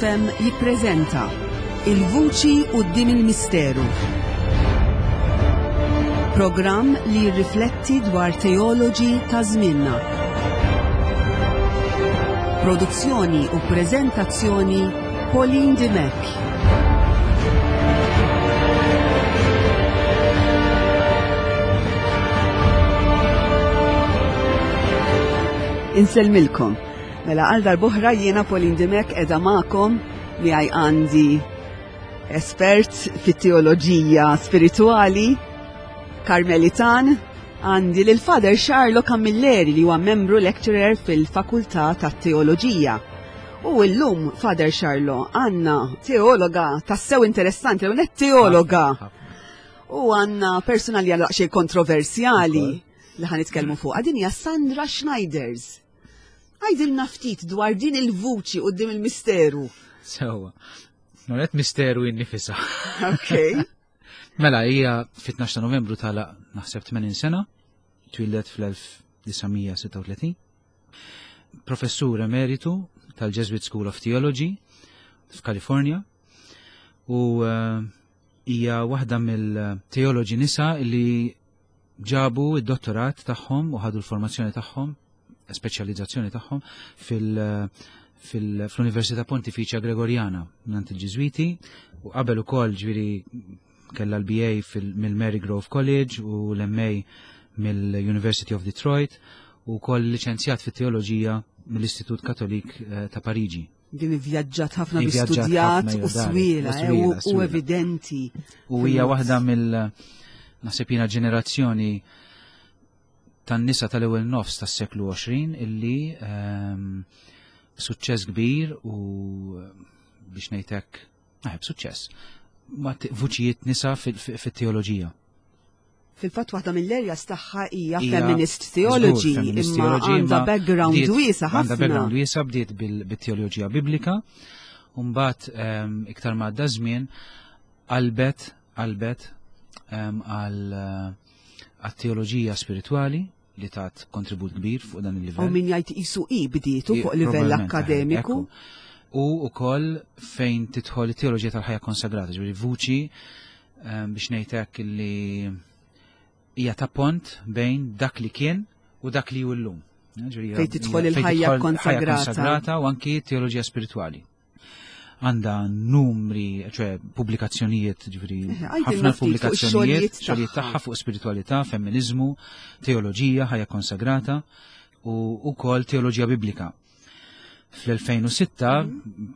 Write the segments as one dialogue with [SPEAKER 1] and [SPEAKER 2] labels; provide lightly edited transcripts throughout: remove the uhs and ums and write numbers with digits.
[SPEAKER 1] FM jippreżenta Il-Vuċi quddiem il-Misteru. Programm li jirrifletti dwar teoloġi ta' żmienna. Produzzjoni u preżentazzjoni Pauline Dimech. Insellmilkom. Mela għal darbohra jiena Pauline Dimech edha magħkom miegħi għandi espert fit-teoloġija spirituali Karmelitan għandi lil Father Charlo Camilleri li huwa membru lecturer fil-Fakultà tat-Teoloġija. U llum, Father Charlo, għandna teologa tassew interessanti, u net teologa. U għandna persuna li għal xej kontroversjali li ħan nitkellmu fuq. Din hija Sandra Schneiders. Għidilna ftit dwar din il-vuċi quddiem il-misteru.
[SPEAKER 2] Sewa. Noret misteru innifisa.
[SPEAKER 1] Ok.
[SPEAKER 2] Mela, hija fit-12 ta' Novembru tala naħseb 80 sena, twildet fl-1936. Professur emeritu tal-Jesuit School of Theology f'Kalifornja u eh, hija waħda mill-teoloġi nisa li ġabu id-dottorat tagħhom u ħadu l-formazzjoni tagħhom, speċjalizzazzjoni tagħhom fil-Università Pontifiċja Gregorjana mingħand il-Ġiżwiti u qabel ukoll ġifieri kellha l-BA mill-Mary Grove College u l-MA mill-University of Detroit u wkoll liċenzjat fit-teoloġija mill-Istitut Katolik eh, ta' Pariġi.
[SPEAKER 1] Din ivvjaġġat ħafna bi studjat u swiela eh, u evidenti.
[SPEAKER 2] U hija waħda mill naħseb jiena ġenerazzjoni tan-nisa tal-ewwel nofs tas-seklu 20 illi ehm, suċċess kbir u biex ngħidlek eh, b'suċċess ma vuċijiet nisa fit-teoloġija.
[SPEAKER 1] Fil-fatt waħda mill-areas tagħha hija feminist theology, imma għandha background wiesa ħafna.
[SPEAKER 2] Għandha background wiesa bdiet bil-teoloġija biblika, u mbagħad ehm, iktar ma għadda żmien qalbet qalbet ehm, għal eh, teoloġija spiritwali li tat kontribut kbir fuq dan il-livell.
[SPEAKER 1] U min jgħid isu i bdietu fuq livell akademiku.
[SPEAKER 2] U ukoll fejn tidħol it-teoloġija tal-ħajja konsagrata, ġifieri vuċi ehm, biex ngħid hekk li hija ta' pont bejn dak li kien u dak li hu llum.
[SPEAKER 1] Fejn tidħol il-ħajja konsagrata
[SPEAKER 2] u anki teoloġija spiritwali għandha numri, ċe pubblikazzjonijiet, ġifieri eh, ħafna pubblikazzjonijiet, xogħlijiet tagħha fuq spiritualità, femminizmu, teoloġija, ħajja konsagrata u wkoll teoloġija biblika. Fl-2006,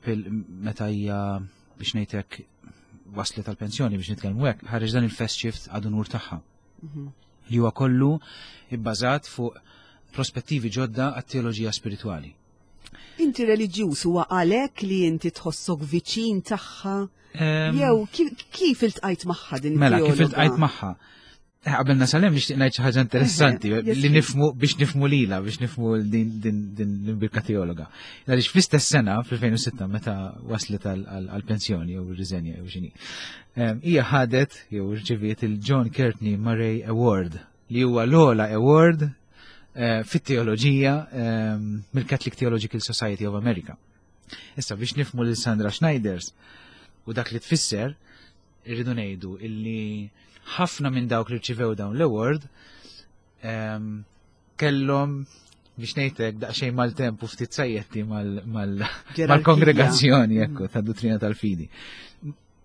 [SPEAKER 2] mhm. meta hija biex ngħidlek waslet tal-pensjoni biex nitkellmu hekk, ħareġ dan il-fest shift għadu nur tagħha. Mhm. Li huwa kollu ibbażat fuq prospettivi ġodda għat-teoloġija spiritwali.
[SPEAKER 1] Inti reliġjuż huwa għalhekk li inti tħossok viċin tagħha? Jew kif iltqajt magħha din
[SPEAKER 2] Mela, kif iltqajt magħha? Eh, qabel nasalem nixtieq ngħid xi ħaġa interessanti eh, li nifmu biex nifmu lila, biex nifmu din l-imbirka teologa. Għaliex fl-istess sena, fl-2006, meta waslet għall-pensjoni jew ir-riżenja jew x'inhi. Hija ħadet jew rċeviet il-John Courtney Murray Award li huwa l-ogħla award eh, fit-teoloġija ehm, mill-Catholic Theological Society of America. Issa biex nifmu lil Sandra Schneiders u dak li tfisser, irridu ngħidu illi ħafna minn dawk li rċivew dawn l-award ehm, kellhom biex ngħidlek daqsxejn mal-temp u ftit sajjetti mal-kongregazzjoni ekku ta' duttrina tal-fidi.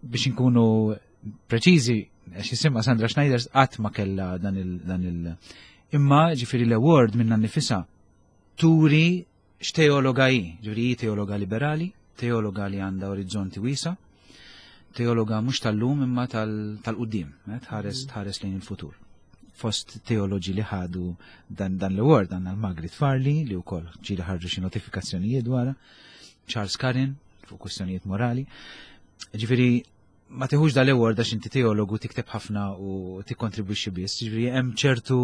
[SPEAKER 2] Biex inkunu preċiżi, għax jisimha Sandra Schneiders qatt ma kellha dan il dan il imma ġifieri l-award minna nifisha turi x'teologa hi, ġifieri hi teologa liberali, teologa li għandha orizzonti wiesa, teologa mhux tal-lum imma tal-qudiem, eh, tħares mm. tħares lejn il-futur. Fost teoloġi li ħadu dan, dan l-award għandna l-Margaret Farley li wkoll ġieli ħarġu xi notifikazzjonijiet dwarha, Charles Karin fuq kwistjonijiet morali. Ġifieri ma tiħux dal-award għax inti teologu tikteb ħafna u tikkontribwixxi biss, ġifieri hemm ċertu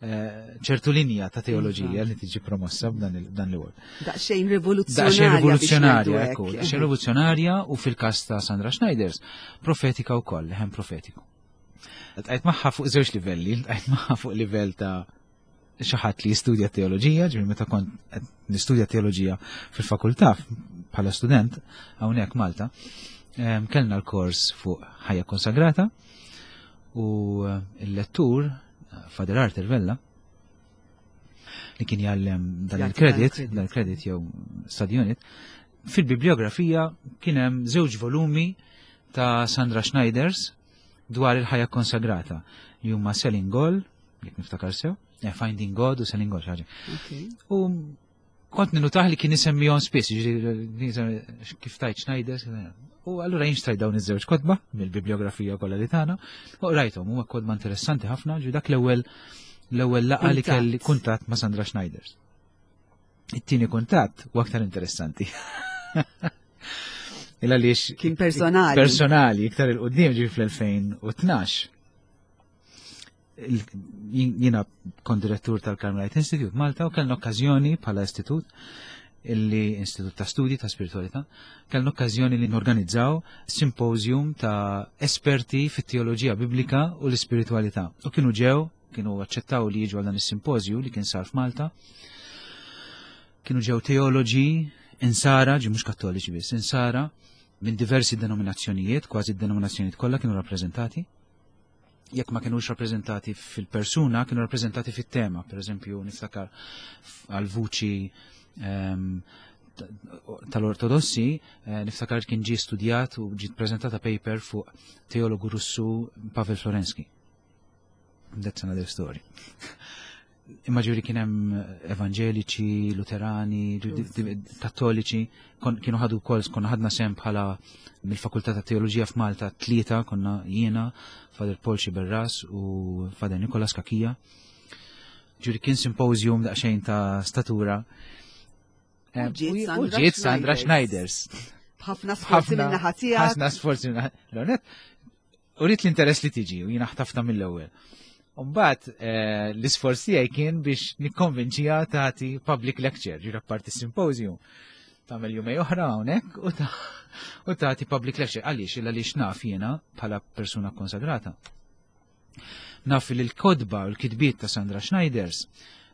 [SPEAKER 2] eh, ċertu linja ta' teoloġija iva. li tiġi promossa b'dan l-award.
[SPEAKER 1] Daqsxejn rivoluzzjonarja.
[SPEAKER 2] Daqsxejn rivoluzzjonarja, ekku, daqsxejn rivoluzzjonarja u fil-każ ta' Sandra Schneiders, profetika wkoll, leħen profetiku. Tqajt magħha fuq żewġ livelli, tqajt magħha fuq livell ta' xi ħadd li jistudja teoloġija, ġifieri meta kont qed nistudja teoloġija fil-fakultà bħala student hawnhekk Malta, kellna l-kors fuq ħajja konsagrata u l-lettur Father Arthur Vella li kien jgħallem dan il-credit, dan il-credit jew study unit, fil-bibliografija kien hemm żewġ volumi ta' Sandra Schneiders dwar il-ħajja konsagrata li huma Selling Goal, jekk niftakar sew, Finding God u Selling Goal ħaġa. U kont ninutaħ li kien isemmihom spiss, jiġifieri kif tajt Schneiders, u allura jien xtrajt dawn iż-żewġ kotba mill-bibliografija kollha li tagħna, u qrajthom, huma kotba interessanti ħafna, ġi dak l-ewwel l-ewwel laqgħa li kelli kuntatt ma' Sandra Schneiders. It-tieni kuntatt u aktar interessanti. Il għaliex
[SPEAKER 1] kien personali.
[SPEAKER 2] Personali, iktar il-qoddim ġi fl-2012. Jiena kont direttur tal-Carmelite Institute Malta u kellna okkażjoni bħala istitut illi Istitut ta' Studi ta' Spiritualità, kellna okkażjoni li norganizzaw symposium ta' esperti fit-teoloġija biblika u l-ispiritualità. U kienu ġew, kienu aċċettaw li jiġu għal dan is-simpożju li kien sar f'Malta. Kienu ġew teoloġi insara, ġi mhux kattoliċi biss, insara minn diversi denominazzjonijiet, kważi d-denominazzjonijiet kollha kienu rappreżentati. Jekk ma kienux rappreżentati fil-persuna, kienu rappreżentati fit-tema. Per eżempju, niftakar għal-vuċi tal-Ortodossi, niftakar kien ġie studjat u ġiet preżentata paper fuq teologu Russu Pavel Florensky. That's another story. Imma ġuri kien hemm evanġeliċi, luterani, kattoliċi, kienu ħadu wkoll, konna ħadna sem bħala mill-Fakultà ta' Teoloġija f'Malta tlieta, konna jiena, Father Paul Xiberras u Father Nikolas Kakija. Ġuri kien symposium daqsxejn ta' statura.
[SPEAKER 1] U
[SPEAKER 2] ġiet Sandra Schneiders.
[SPEAKER 1] Ħafna sforzi minn naħa tiegħek.
[SPEAKER 2] Ħafna sforzi minn naħa. U rrit l-interess li tiġi u jiena ħtafta mill-ewwel. Umbagħad l-isforz tiegħi kien biex nikkonvinċiha tagħti public lecture, ġira parti symposium. Tagħmel jumej oħra hawnhekk u tagħti public lecture. Għaliex? Illa għaliex naf jiena bħala persuna konsagrata. Naf li l-kodba u l-kitbiet ta' Sandra Schneiders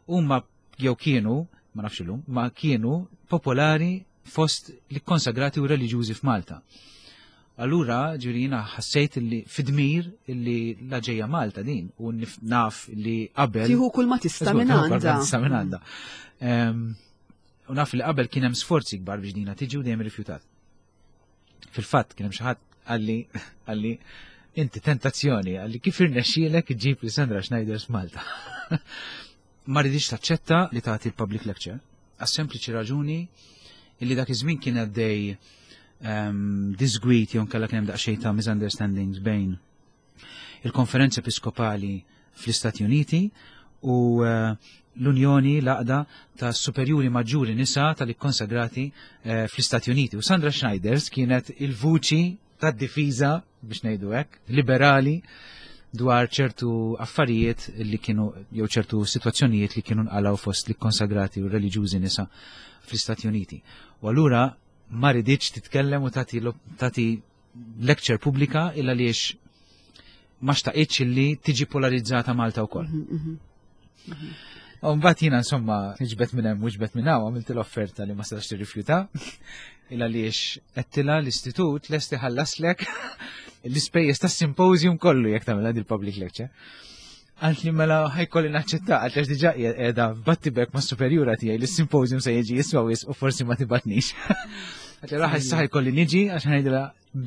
[SPEAKER 2] huma jew kienu, ma nafx illum, ma kienu popolari fost li konsagrati u reliġjużi f'Malta. Allura, ġiri jiena ħassejt li fidmir li la ġejja Malta din u naf li qabel.
[SPEAKER 1] Tieħu kull ma tista' minn għandha.
[SPEAKER 2] Tista' minn għandha. U naf li qabel kien hemm sforzi kbar biex dina tiġi u dejjem rifjutat. Fil-fatt kien hemm xi ħadd għalli inti tentazzjoni, għalli kif irnexxielek iġġib li Sandra Schneider f'Malta. Ma ridix taċċetta li tagħti l-public lecture, għas sempliċi raġuni illi dak iż-żmien kien għaddej disgwit jew nkella kien hemm daqsxejn ta' misunderstandings bejn il-Konferenza Episkopali fl-Istati Uniti u l-Unjoni l-Għaqda ta' Superjuri Maġġuri Nisa tal-Ikkonsagrati fl-Istati Uniti. U Sandra Schneiders kienet il-vuċi tad-difiża, biex ngħidu hekk, liberali dwar ċertu affarijiet li kienu, jew ċertu situazzjonijiet li kienu nqalgħu fost li konsagrati u reliġjużi nisa fl-Istati Uniti. U allura ma riditx titkellem u tagħti lecture pubblika illa għaliex ma xtaqitx li tiġi polarizzata Malta wkoll. U mbagħad jiena insomma ġbet minn hemm u ġbet minn hawn għamilt l-offerta li ma setax tirrifjuta illa għaliex għedtilha l-istitut lest iħallaslek l-ispejjeż tas-symposium kollu jekk tagħmel il-public lecture. Għalt li mela ħajkolli naċċetta, għalt għax diġà qiegħda battibek ma' superjura tiegħi li s-symposium se jiġi jiswa wisq u forsi ma tibatnix. Għalt li raħ issa ħajkolli niġi għax ngħidilha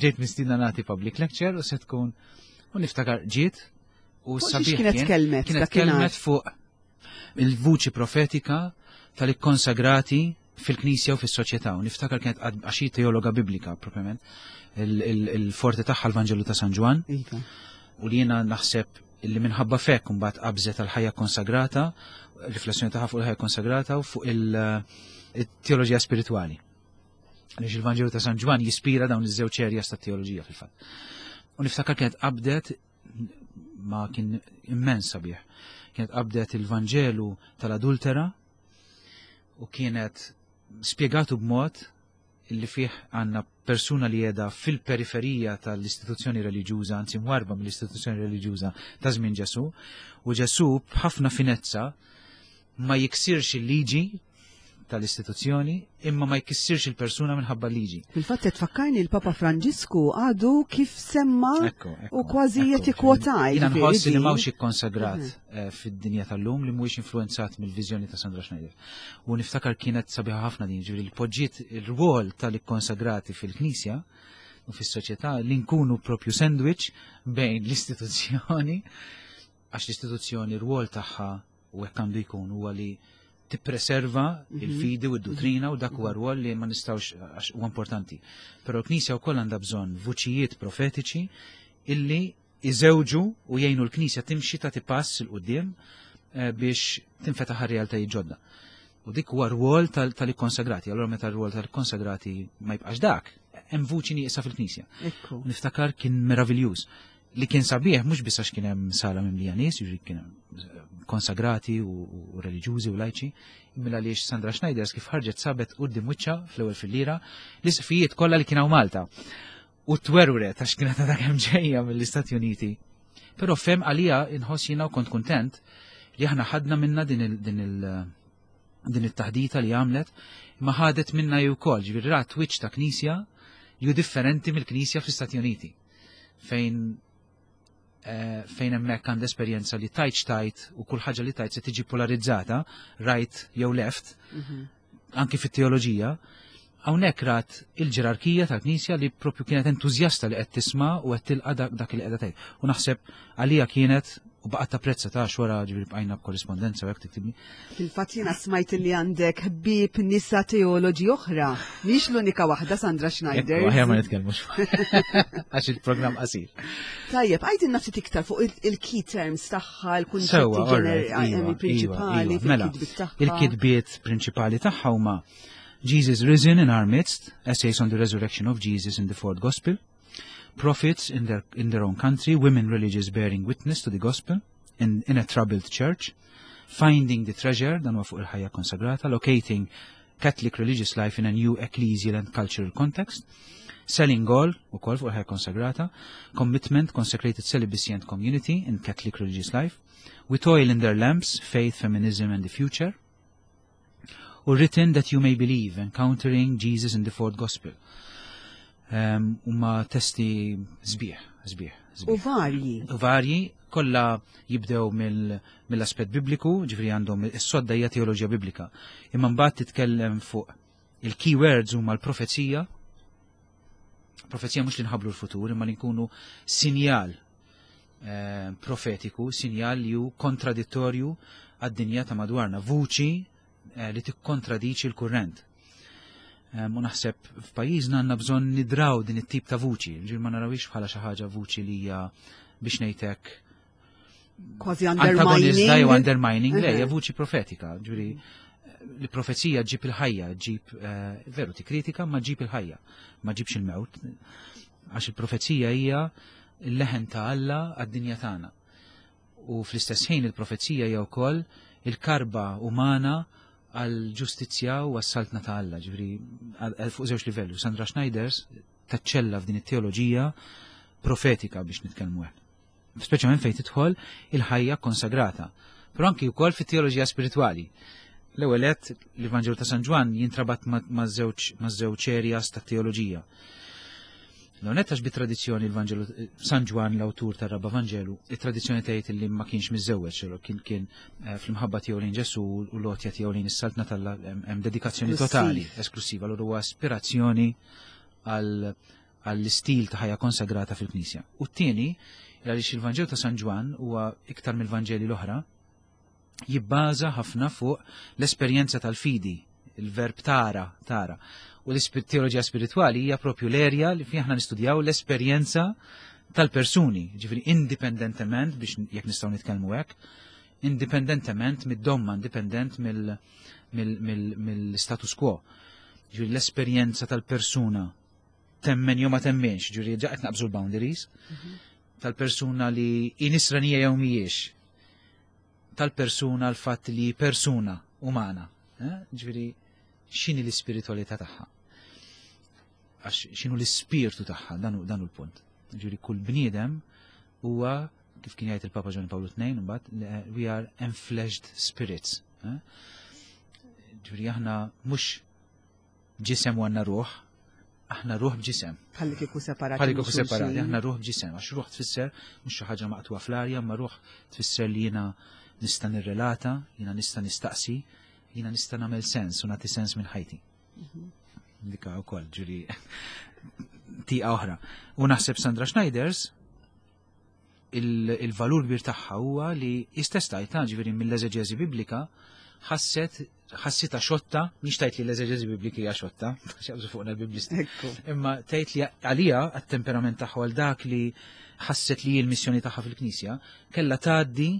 [SPEAKER 2] ġejt mistiedna nagħti public lecture u se tkun u niftakar ġiet u
[SPEAKER 1] Fuq xiex
[SPEAKER 2] sabiħ
[SPEAKER 1] kienet
[SPEAKER 2] kien,
[SPEAKER 1] kelmet
[SPEAKER 2] kienet
[SPEAKER 1] dakinhar?
[SPEAKER 2] kelmet fuq il-vuċi profetika tal-ikkonsagrati fil-Knisja u fis-soċjetà. U niftakar kienet għax hi teologa biblika propjament, il-forti tagħha l-Vanġelu ta' San Ġwann. U li jiena naħseb li minħabba fekk imbagħad qabżet għal-ħajja konsagrata, riflessjoni tagħha fuq il-ħajja konsagrata u fuq il-teoloġija spiritwali. Għaliex il-Vanġelu ta' San Ġwann jispira dawn iż-żewġ areas ta' teoloġija fil-fatt. U niftakar kienet qabdet ma kien immens sabiħ. Kienet qabdet il-Vanġelu tal-adultera u kienet spjegatu b'mod illi fih għandna persuna li jeda fil-periferija tal-istituzzjoni reliġjuża, anzi mwarba mill-istituzzjoni reliġjuża ta' żmien Ġesu, u Ġesu b'ħafna finezza Ma jiksirx il-liġi tal-istituzzjoni imma ma jkissirx il-persuna minħabba liġi.
[SPEAKER 1] Fil-fatt qed tfakkarni l-Papa Franġisku għadu kif semma u kważi qed ikkwotaj.
[SPEAKER 2] Jiena nħoss li m'hawnx ikkonsagrat mhm. eh, fid-dinja tal-lum li mhuwiex influenzat mill-viżjoni ta' Sandra Schneider. U niftakar kienet sabiħa ħafna din, ġifieri li poġġiet il-rwol tal-ikkonsagrati fil-Knisja u fis-soċjetà li nkunu propju sandwich bejn l-istituzzjoni għax l-istituzzjoni r-rwol tagħha u hekk għandu jkun huwa li tippreserva mhm. il-fidi u d-duttrina u dak huwa rwol li ma nistgħux għax huwa importanti. Però l-Knisja wkoll għandha bżonn vuċijiet profetiċi illi iżewġu u jgħinu l-Knisja timxi tagħti pass 'il quddiem eh, biex tinfetaħ realtajiet ġodda. U dik huwa rwol tal-ikkonsagrati. Allura meta r-rwol tal-ikkonsagrati ma jibqax dak, hemm vuċi nieqsa fil-Knisja. Niftakar kien meraviljuż li kien sabiħ mhux biss għax kien hemm sala mimlija nies, jiġri kien hemm konsagrati u reliġjużi u lajċi, imma għaliex Sandra Schneiders kif ħarġet sabet quddiem wiċċha fl-ewwel fil-lira l-isqfijiet kollha li kien hawn Malta. U twerwret għax kienet għadha kemm ġejja mill-Istati Uniti. Però fem għalija inħoss jiena u kont kuntent li aħna ħadna minna din il- din il- din it-taħdita li għamlet, ma ħadet minna ju wkoll, ġifieri rat wiċċ ta' knisja li hu differenti mill-knisja fl-Istati Uniti. Fejn eh, fejn hemmhekk għand esperjenza li tajt tajt u kull ħaġa li tajt se tiġi polarizzata, right jew left, mhm. anki fit-teoloġija, hawnhekk rat il-ġerarkija tal-Knisja li propju kienet entużjasta li qed tisma' u qed tilqa' dak li qiegħda tgħid. U naħseb għalija kienet u baqgħet tapprezza ta' wara ġifieri bqajna b'korrispondenza u hekk tiktibni.
[SPEAKER 1] Fil-fatt jiena smajt li għandek ħbieb nisa teoloġi oħra. Mhix l-unika waħda Sandra Schneider.
[SPEAKER 2] Aħjar ma nitkellmux. Għax il-programm qasir.
[SPEAKER 1] Tajjeb, għajdilna ftit iktar fuq il-key terms tagħha, il-kunċetti ġenerali iva, iva, prinċipali iva.
[SPEAKER 2] Mela,
[SPEAKER 1] fil-kitbiet tagħha.
[SPEAKER 2] Il-kitbiet prinċipali tagħha huma Jesus Risen in Our Midst, Essays on the Resurrection of Jesus in the Fourth Gospel, Prophets in their, in their own country, Women Religious Bearing Witness to the Gospel in, in a Troubled Church, Finding the Treasure, dan huwa fuq il-ħajja konsagrata, Locating Catholic Religious Life in a New Ecclesial and Cultural Context, Selling All, ukoll fuq il-ħajja konsagrata, Commitment, Consecrated Celibacy and Community in Catholic Religious Life, With Oil in Their Lamps, Faith, Feminism and the Future, u Written That You May Believe, Encountering Jesus in the Fourth Gospel. Um, Huma testi sbieħ, sbieħ,
[SPEAKER 1] U varji.
[SPEAKER 2] U varji, kollha jibdew mill-aspett bibliku, ġifieri għandhom is-sodda hija teoloġija biblika. Imma mbagħad titkellem fuq il-keywords huma l-profezija. Profezija mhux li nħablu l-futur, imma li nkunu sinjal eh, profetiku, sinjal li hu kontradittorju għad-dinja ta' madwarna, vuċi eh, li tikkontradiċi l-kurrent. Eh, u naħseb f'pajjiżna għandna bżonn nidraw din it-tip ta' vuċi, ġir ma narawix bħala xi ħaġa vuċi li hija biex ngħidlek
[SPEAKER 1] kważi undermining.
[SPEAKER 2] jew undermining, le, hija vuċi profetika, ġuri li profezija ġib il-ħajja, ġib veru ti kritika ma ġib il-ħajja, ma ġibx il-mewt, għax il-profezija hija il-leħen ta' Alla għad-dinja tagħna. U fl-istess ħin il-profezija hija wkoll il-karba umana għal ġustizzja u għas-saltna ta' Alla, ġifieri fuq żewġ livelli. Sandra Schneiders taċċella f'din it-teoloġija profetika biex nitkellmu hekk. Speċjalment fejn tidħol il-ħajja konsagrata. Però anki wkoll fit-teoloġija spiritwali. L-ewwel qed l-Evanġelu ta' San Ġwann jintrabat ma' żewġ areas ta' teoloġija. L-għonet għax bit-tradizzjoni l-Vanġelu San Ġwann l-awtur tar-Raba' Vanġelu, it-tradizzjoni tgħid li ma kienx miżżewweġ, kien kien eh, fl-imħabba tiegħu lejn Ġesu u l-għotja tiegħu lejn is-saltna tal hemm dedikazzjoni totali, esklusiva, allura huwa aspirazzjoni għall-istil ta' ħajja konsagrata fil-Knisja. U t-tieni, għaliex il-Vanġelu ta' San Ġwann huwa iktar mill-Vanġeli l-oħra, jibbaża ħafna fuq l-esperjenza tal-fidi, il-verb tara, tara. U l-teoloġija spiritwali hija propju l-erja li fih aħna nistudjaw l-esperjenza tal-persuni, ġifieri indipendentement biex jekk nistgħu nitkellmu hekk, indipendentement mid-domma, indipendent mill-status quo. Ġifieri l-esperjenza tal-persuna temmen jew ma temmenx, ġifieri ġa qed naqbżu l-boundaries, mhm. tal-persuna li inisranija jew mhijiex, tal-persuna l-fatt li persuna umana. Eh? Ġifieri x'inhi l-ispiritualità tagħha? Għax x'inhu l-ispirtu tagħha, dan hu l-punt. Ġifieri kull bniedem huwa kif kien jgħid il-Papa Ġwanni Pawlu II mbagħad eh, we are enfleshed spirits. Eh? Ġifieri aħna mhux ġisem u għandna ruħ, aħna ruħ b'ġisem.
[SPEAKER 1] Bħalli kieku separati.
[SPEAKER 2] Bħalli kieku separati, aħna ruħ b'ġisem, għax ruħ tfisser mhux xi ħaġa maqtuha fl-arja, ma ruħ tfisser li jiena nista' nirrelata, jiena nista' nistaqsi, jiena nista' nagħmel sens u nagħti sens minn ħajti. Dika wkoll ġuri tieqa oħra. U naħseb Sandra Schneiders il-valur kbir tagħha huwa li istess tajta ġifieri mill-eżeġeżi biblika ħasset ħassita xotta, mhix tajt li l-eżeġeżi biblika hija xotta, x'jaqbżu fuqna l-biblisti. Imma tgħid li għalija għat-temperament tagħha għal dak li ħasset li l-missjoni tagħha fil-Knisja kellha tgħaddi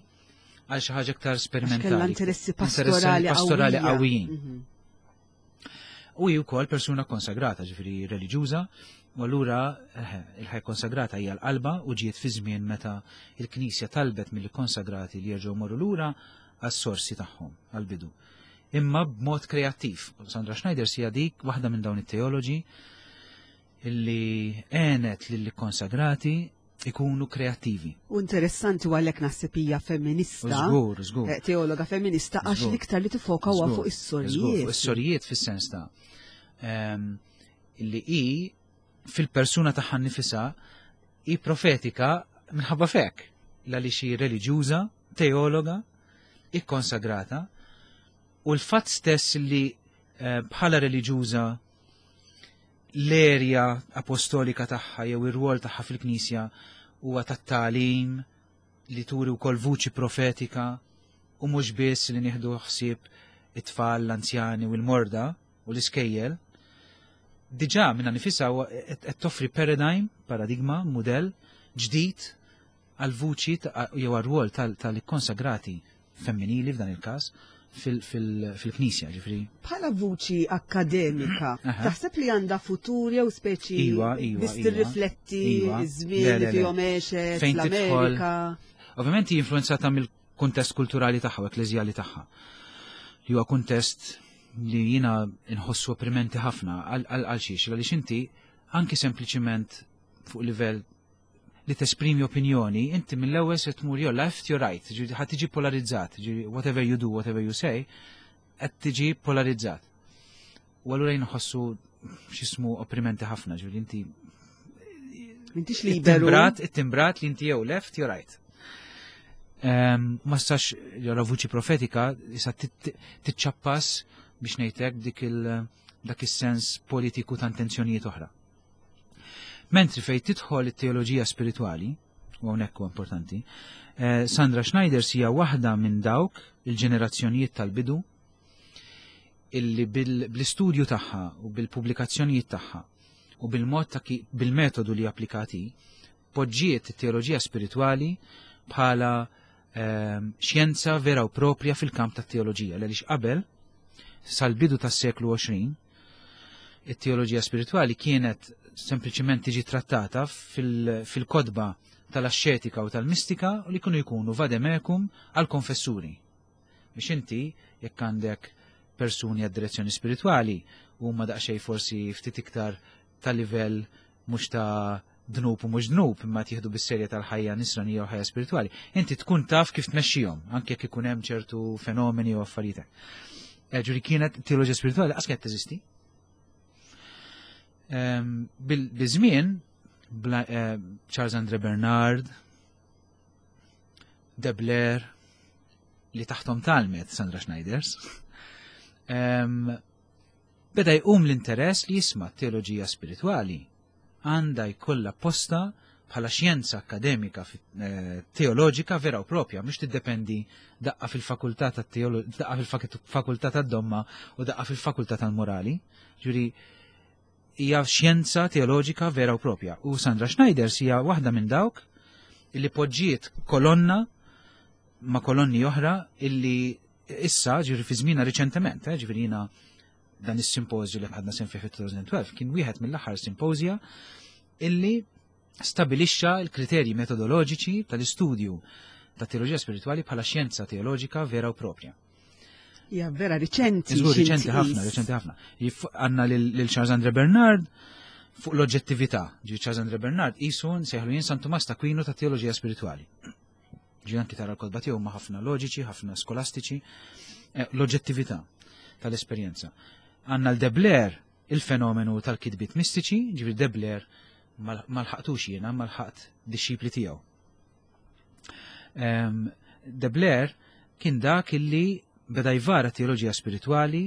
[SPEAKER 2] għal xi ħaġa aktar sperimentali.
[SPEAKER 1] Kellha interessi pastorali
[SPEAKER 2] pastorali qawwijin. U hi wkoll persuna konsagrata, ġifieri reliġjuża, u allura eh, il-ħajja konsagrata hija l-qalba u ġiet fi żmien meta il-Knisja talbet mill-konsagrati li jerġgħu morru lura għas-sorsi tagħhom għall-bidu. Imma b'mod kreattiv. Sandra Schneider hija dik waħda minn dawn it-teoloġi illi għenet lill-konsagrati ikunu kreattivi.
[SPEAKER 1] U interessanti u għalhekk naħseb hija femminista.
[SPEAKER 2] Żgur, żgur.
[SPEAKER 1] Eh, teologa femminista għax l-iktar li tifoka huwa fuq is-sorijiet.
[SPEAKER 2] Fuq is-sorijiet fis-sens ta' ehm, illi hi fil-persuna tagħha nifisha hi profetika minħabba fek għaliex hi reliġjuża, teologa, ikkonsagrata u l-fatt stess li eh, bħala reliġjuża l-erja apostolika tagħha jew ir-rwol tagħha fil-Knisja huwa tat-tagħlim li turi wkoll vuċi profetika u mhux biss li nieħdu ħsieb it-tfal, l-anzjani u l-morda u l-iskejjel. Diġà minna nifisha qed toffri paradigm, paradigma, mudell ġdid għal vuċi jew għar-rwol tal-ikkonsagrati femminili f'dan il-każ fil-knisja, ġifri.
[SPEAKER 1] Bħala vuċi akkademika, taħseb li għandha futur jew speċi
[SPEAKER 2] iva, iva,
[SPEAKER 1] biss
[SPEAKER 2] iva.
[SPEAKER 1] tirrifletti
[SPEAKER 2] Iva.
[SPEAKER 1] iż-żmien li fihom għexet l-Amerika.
[SPEAKER 2] Ovvjament hi influenzata mill-kuntest kulturali tagħha u ekkleżjali tagħha. Li huwa kuntest li jiena nħossu opprimenti ħafna għal xiex, għaliex inti anki sempliċiment fuq livell li tesprimi opinjoni, inti mill-ewwel se tmur jew left jew right, ġifieri ħad tiġi polarizzat, ġifieri whatever you do, whatever you say, qed tiġi polarizzat. U allura jien nħossu x'ismu opprimenti ħafna, ġifieri inti
[SPEAKER 1] M'intix liberu.
[SPEAKER 2] It-timbrat, it-timbrat li inti jew left jew right. Ehm, ma stax jara vuċi profetika, issa tiċċappas biex ngħidlek dik il dak is-sens politiku ta' intenzjonijiet oħra. Mentri fejn tidħol it-teoloġija spiritwali, u hawnhekk huwa importanti, eh, Sandra Schneider hija waħda minn dawk il-ġenerazzjonijiet tal-bidu illi bl-istudju tagħha u bil-pubblikazzjonijiet tagħha u bil-mod ta' bil-metodu li applikati poġġiet it-teoloġija spiritwali bħala ehm, xjenza vera u propja fil-kamp tat-teoloġija għaliex qabel sal-bidu tas-seklu 20 it-teoloġija spiritwali kienet sempliċement tiġi trattata fil-kodba tal-axxetika u tal-mistika u li kienu jkunu vademecum għal-konfessuri. Biex inti, jekk għandek persuni għad direzzjoni spiritwali, huma daqsxejn forsi ftit iktar ta' livell mhux ta' dnub u mhux dnub, imma tieħdu bis-serja tal-ħajja nisranija u ħajja spiritwali. Inti tkun taf kif tmexxihom, anke jekk ikun hemm ċertu fenomeni u affarijiet. Eh, ġuri kienet teoloġija spiritwali qas kienet teżisti. Ehm, biż-żmien eh, Charles Andre Bernard, De Blair, li taħtom talmet Sandra Schneiders, ehm, beda jqum l-interess li jisma' teoloġija spiritwali għandha jkollha posta bħala xjenza akkademika eh, teoloġika vera u propja, mhux tiddependi daqqa fil-fakultà tat-teoloġija, daqqa fil-fakultà tad-domma u daqqa fil-fakultà tal-morali. Ġuri hija xjenza teoloġika vera u propja. U Sandra Schneider hija waħda minn dawk illi poġġiet kolonna ma' kolonni oħra illi issa ġifieri fi żmienha riċentement, eh, ġifieri jiena dan is-simpożju li ħadna sehem fih fit-2012 kien wieħed mill-aħħar simpozja illi stabilixxa l-kriterji metodoloġiċi tal-istudju ta' teoloġija spiritwali bħala xjenza teoloġika vera u propja.
[SPEAKER 1] Ja, vera riċenti.
[SPEAKER 2] Żgur riċenti ħafna, riċenti ħafna. Għandna lil Charles Andre Bernard fuq l-oġġettività. Ġi Charles Andre Bernard isu nsejħlu jien San Tumas ta' Aquino ta' teoloġija spiritwali. Ġi anki tara l-kotba tiegħu ma ħafna loġiċi, ħafna skolastiċi, eh, l-oġġettività tal-esperjenza. Għandna l-Debler il-fenomenu tal-kitbiet mistiċi, ġifieri Debler ma lħaqtux jiena, ma lħaqt dixxipli tiegħu. Ehm, De Blair kien dak illi beda jvara teoloġija spiritwali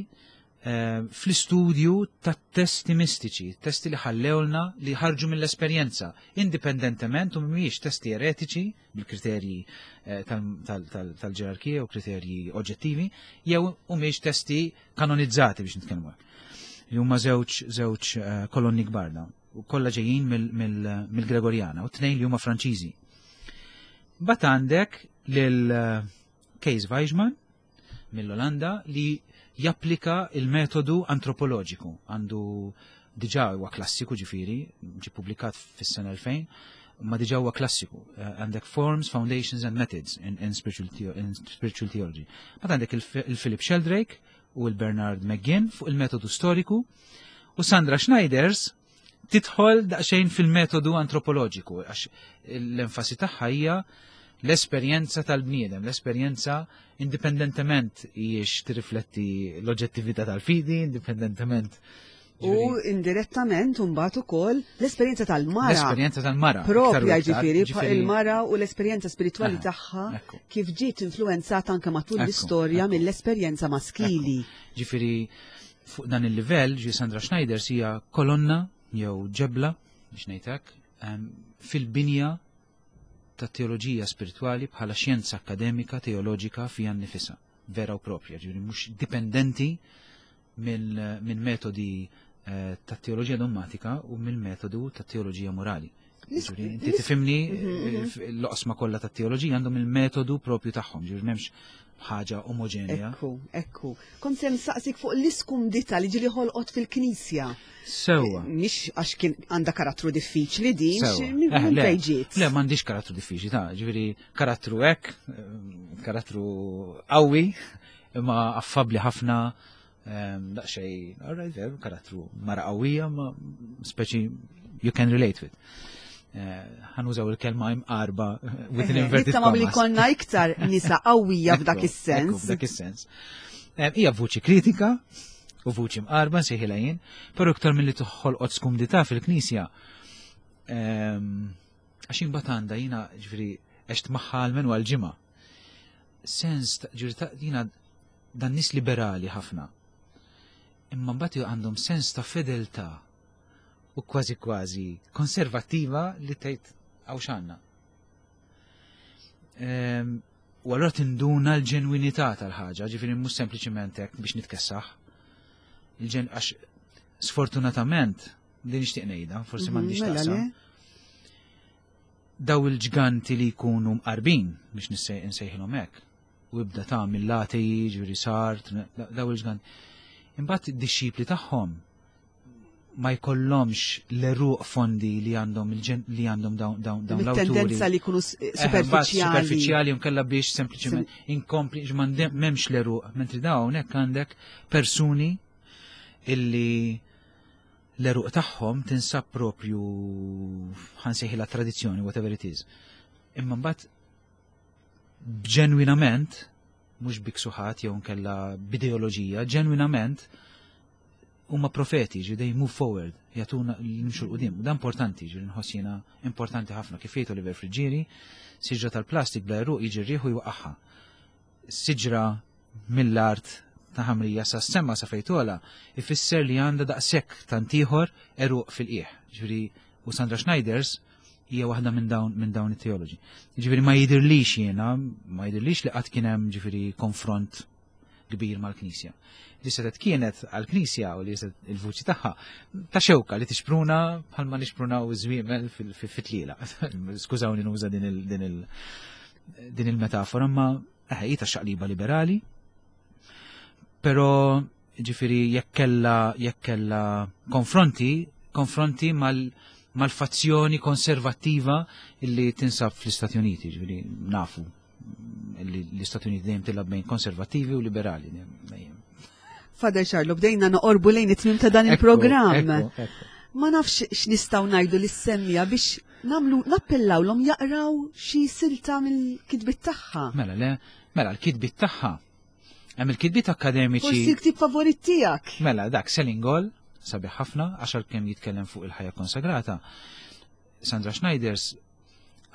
[SPEAKER 2] ehm, fl-istudju ta' testi mistiċi, testi li ħallewlna li ħarġu mill-esperjenza, indipendentement u mhumiex testi eretiċi bil-kriterji eh, tal-ġerarkija u kriterji oġġettivi, jew humiex testi kanonizzati biex nitkellmu hekk. Li huma żewġ żewġ eh, kolonni kbar dawn. U kollha ġejjin mill-Gregorjana u tnejn li huma Franċiżi. Bat għandek lil eh, Kees Weijman mill-Olanda li japplika il-metodu antropoloġiku. Għandu diġà huwa klassiku ġifieri, ġi publikat fis-sena 2000, ma diġà huwa klassiku. Eh, għandek Forms, Foundations and Methods in, in, spiritual, in Spiritual Theology. Bat għandek il-Philip Sheldrake u l-Bernard McGinn fuq il-metodu storiku u Sandra Schneiders tidħol daqsxejn fil-metodu antropoloġiku għax l-enfasi tagħha hija l-esperjenza tal-bniedem, l-esperjenza indipendentement hijiex tirrifletti l-oġġettività tal-fidi, indipendentement
[SPEAKER 1] U indirettament mbagħad ukoll l-esperjenza tal-mara.
[SPEAKER 2] L-esperjenza tal-mara.
[SPEAKER 1] Propja ġifieri il-mara u l-esperjenza spiritwali tagħha kif ġiet influenzata anke matul l-istorja mill-esperjenza maskili.
[SPEAKER 2] Ġifieri fuq dan il-livell ġi Sandra Schneider hija kolonna jew ġebla biex ngħidlek fil-binja ta' teoloġija spiritwali bħala xjenza akademika teoloġika fija nnifisha, vera u propja, ġifieri mhux dipendenti minn metodi eh, ta' teoloġija dogmatika u mill-metodu ta' teoloġija morali. Ġifieri, inti tifhimni mhm, mhm. eh, l-oqsma kollha ta' teoloġija għandhom il-metodu propju tagħhom, ġifieri m'hemmx ħaġa omogenja.
[SPEAKER 1] Ekku, ekku. Kont se nsaqsik fuq l-iskumdita li ġili ħolqot fil-knisja.
[SPEAKER 2] Sewwa.
[SPEAKER 1] Eh, mhix għax kien għandha karattru diffiċli din, minn
[SPEAKER 2] fejn ġiet. Le, m'għandix karattru diffiċli, ta' ġifieri karattru hekk, karattru qawwi, imma affabbli ħafna, ehm, daqsxejn, all right, veru, karattru mara qawwija, ma speċi you can relate with. Eh, ħanużaw il-kelma imqarba with an inverted
[SPEAKER 1] commas. li konna iktar nisa qawwija f'dak is-sens.
[SPEAKER 2] F'dak is-sens. Ehm, hija vuċi kritika u vuċi mqarba nsejħilha jien, però iktar milli toħolqot skumdità fil-Knisja. Ehm, għax imbagħad għandha jiena ġifieri għext magħha għal għal ġimgħa. Sens ġifieri jiena dan nies liberali ħafna. Imma mbagħad għandhom sens ta' fedeltà u kważi kważi konservattiva li tgħid hawn x'għandna. Ehm, u allura tinduna l-ġenwinità tal-ħaġa, ġifieri mhux sempliċiment hekk biex nitkessaħ. Il-ġen għax sfortunatament din nixtieq ngħidha, forsi mhm, m'għandix mela taqsam. Daw il-ġganti li jkunu mqarbin biex nsejħilhom hekk u ibda ta' mill-lati, ġifieri sart, daw il-ġganti. Imbagħad id-dixxipli tagħhom ma jkollhomx l-eruq fondi li għandhom li għandhom dawn dawn dawn
[SPEAKER 1] l-awturi. Tendenza li jkunu eh, superfiċjali.
[SPEAKER 2] Superfiċjali nkella biex sempliċement inkompli m'hemmx l-eruq, mentri dawn hekk għandek persuni illi l-eruq tagħhom tinsab propju ħansejħilha tradizzjoni, whatever it is. Imma mbagħad ġenwinament, mhux biksuħat jew nkella b'ideoloġija, ġenwinament huma profeti, ġi they move forward, jagħtuna nimxu 'l quddiem. Dan importanti, ġi nħoss jiena importanti ħafna kif jgħid Oliver Friggieri, siġra tal-plastik bla għeruq jiġi r-riħ u jwaqqagħha. Siġra mill-art ta' ħamrija sa sema sa fejtola ifisser li għandha daqshekk tant ieħor għeruq fil-qiegħ. Ġifieri u Sandra Schneiders hija waħda minn dawn minn dawn it-teoloġi. Ġifieri ma jidirlix jiena, ma jidirlix li qatt kien hemm ġifieri konfront kbir mal-Knisja. Li setet kienet għal-Knisja u li il-vuċi tagħha ta' xewka li tixpruna bħalma nixprunaw iż-żwiemel fit-tliela. Skużawni nuża din il-metafora, ma eh, hi ta' xaqliba liberali. Però ġifieri jekk kellha jekk kellha konfronti, konfronti mal mal-fazzjoni konservattiva illi tinsab fl-Istati Uniti, ġifieri nafu li l-Istati Uniti dejjem tilgħab bejn konservattivi u liberali.
[SPEAKER 1] Father Charlo, bdejna noqorbu lejn it-tmim ta' dan il-programm. Ma nafx x'nistgħu ngħidu lis-semmija biex Namlu nappellawlhom jaqraw xi silta mill-kitbiet tagħha.
[SPEAKER 2] Mela le, mela l-kitbiet tagħha. Hemm il-kitbiet akkademiċi.
[SPEAKER 1] Forsi l-ktib favorit tiegħek.
[SPEAKER 2] Mela dak Selling All, sabiħ ħafna, għax għalkemm jitkellem fuq il-ħajja konsagrata. Sandra Schneiders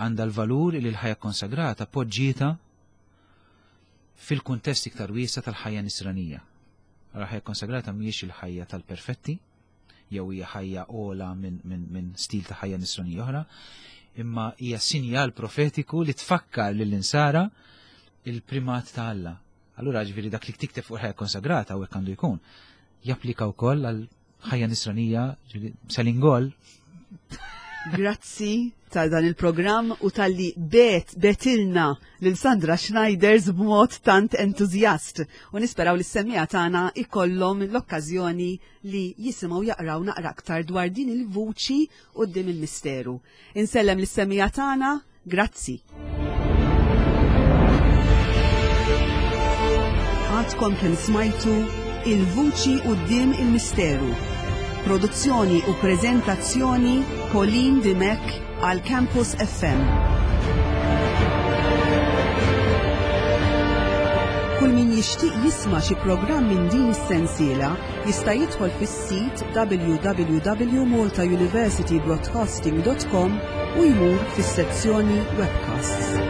[SPEAKER 2] għandha l-valur li l-ħajja konsagrata poġġieta fil-kuntest iktar wiesa tal-ħajja nisranija. L-ħajja konsagrata mhijiex il-ħajja tal-perfetti, jew hija ħajja ola minn min, min stil ta' ħajja nisranija oħra, imma hija sinjal profetiku li tfakkar lill-insara il-primat ta' Alla. Allura ġifieri dak li tikteb fuq ħajja konsagrata u hekk għandu jkun, japplika wkoll għal ħajja nisranija, selingol.
[SPEAKER 1] Grazzi ta' dan il-programm u tal-li bet betilna lil Sandra Schneiders b'mod tant entużjast u nisperaw li s-semmija tagħna ikollhom l-okkażjoni li jisimgħu jaqraw naqra aktar dwar din il-vuċi quddiem il-misteru. Insellem lis-semmiegħa tagħna, grazzi. Għadkom kemm smajtu Il-Vuċi quddiem il-Misteru. Produzzjoni u preżentazzjoni Pauline Dimech għal Campus FM. Kull min jixtieq jisma' xi programm minn din is-sensiela jista' jidħol fis-sit www.maltauniversitybroadcasting.com u jmur fis-sezzjoni Webcasts.